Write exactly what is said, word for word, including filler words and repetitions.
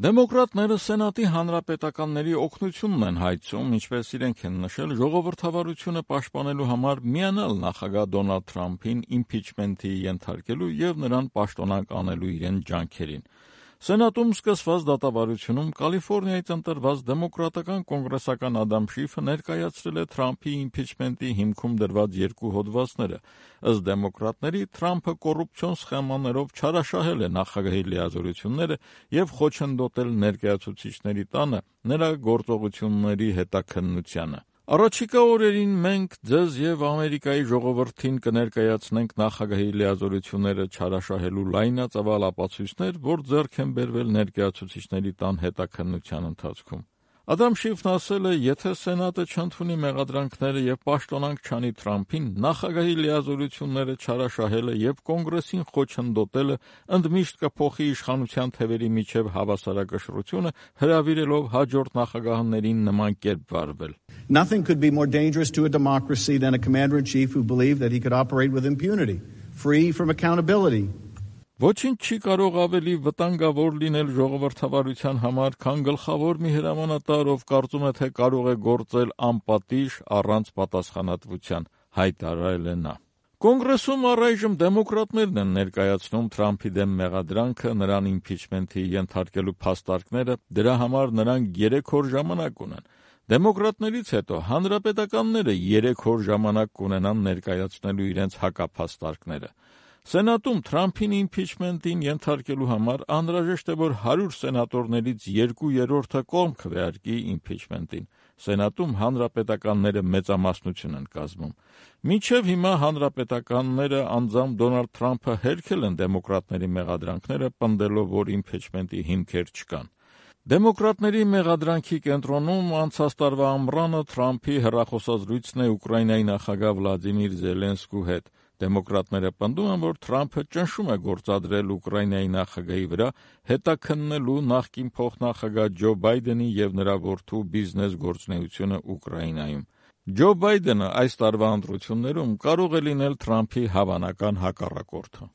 Դեմոկրատները Սենատի հանրապետականների օգնությունն են հայցում, ինչպես իրենք են նշել, ժողովրդավարությունը պաշտպանելու համար միանալ նախագահ Դոնալդ Թրամփին իմպիչմենթի ենթարկելու և նրան պաշտոնանկ անելու իրեն ջանքերին։ Սենատում սկսված դատավարությունում Կալիֆոռնիայից ընտրված դեմոկրատական կոնգրեսական Ադամ Շիֆը ներկայացրել է Թրամփի իմպիչմենթի հիմքում դրված երկու հոդվածները։ Ըստ դեմոկրատների, Թրամփը կոռուպցիոն սխեմաներով չարաշահել է նախագահի լիազորությունները և խոչընդոտել ներկայացուցիչների տանը նրա գործողությունների հետաքննությանը։ Առաջիկա օրերին մենք ձեզ և Ամերիկայի ժողովրդին կներկայացնենք նախագահի լիազորությունները չարաշահելու լայնածավալ ապացույցներ, որ ձեռք են բերվել ներկայացուցիչների տան հետաքննության ընթացքում։ Ադամ Շիֆն ասել է, եթե Սենատը չընդունի մեղադրանքները և պաշտոնանկ չանի Թրամփին, նախագահի լիազորությունները չարաշահելը և Կոնգրեսին խոչընդոտելը ընդմիշտ կփոխի իշխանության թևերի միջև հավասարակշռությունը, հրավիրելով հաջորդ նախագահներին նման կերպ վարվել։ Nothing could be more dangerous to a democracy than a commander-in-chief who believed that he could operate with impunity, free from accountability. Ոչինչ չի կարող ավելի վտանգավոր լինել ժողովրդավարության համար, քան գլխավոր մի հրամանատար, ով կարծում է, թե կարող է գործել անպատիժ, առանց պատասխանատվության, հայտարարել է նա։ Կոնգրեսում առայժմ դեմոկրատներն են ներկայացնում Թրամփի դեմ մեղադրանքը, նրան իմպիչմենթի ենթարկելու փաստարկները, դրա համար նրանք երեք օր ժամանակ ունեն։ Դեմոկրատներից հետո հանրապետականները երեք օր ժամանակ կունենան ներկայացնելու իրենց հակափաստարկները։ Սենատում Թրամփին իմպիչմենթին ենթարկելու համար անհրաժեշտ է, որ հարյուր սենատորներից երկու երրորդը կողմ քվեարկի իմպիչմենթին։ Սենատում հանրապետականները մեծամասնություն են կազմում։ Մինչև հիմա հանրապետականները անձամբ Դոնալդ Թրամփը հերքել են դեմոկրատների մեղադրանքները, պնդելով, որ իմպիչմենթի հիմքեր չկան։ Դեմոկրատների մեղադրանքի կենտրոնում անցած տարվա ամռանը Թրամփի հեռախոսազրույցն է Ուկրաինայի նախագահ Վլադիմիր Զելենսկու հետ։ Դեմոկրատները պնդում են, որ Թրամփը ճնշում է գործադրել Ուկրաինայի նախագահի վրա՝ հետաքննելու նախկին փոխնախագահ Ջո Բայդենի և նրա որդու բիզնես գործունեությունը Ուկրաինայում։ Ջո Բայդենը այս տարվա ընտրություններում կարող է լինել Թրամփի հավանական հակառակորդը։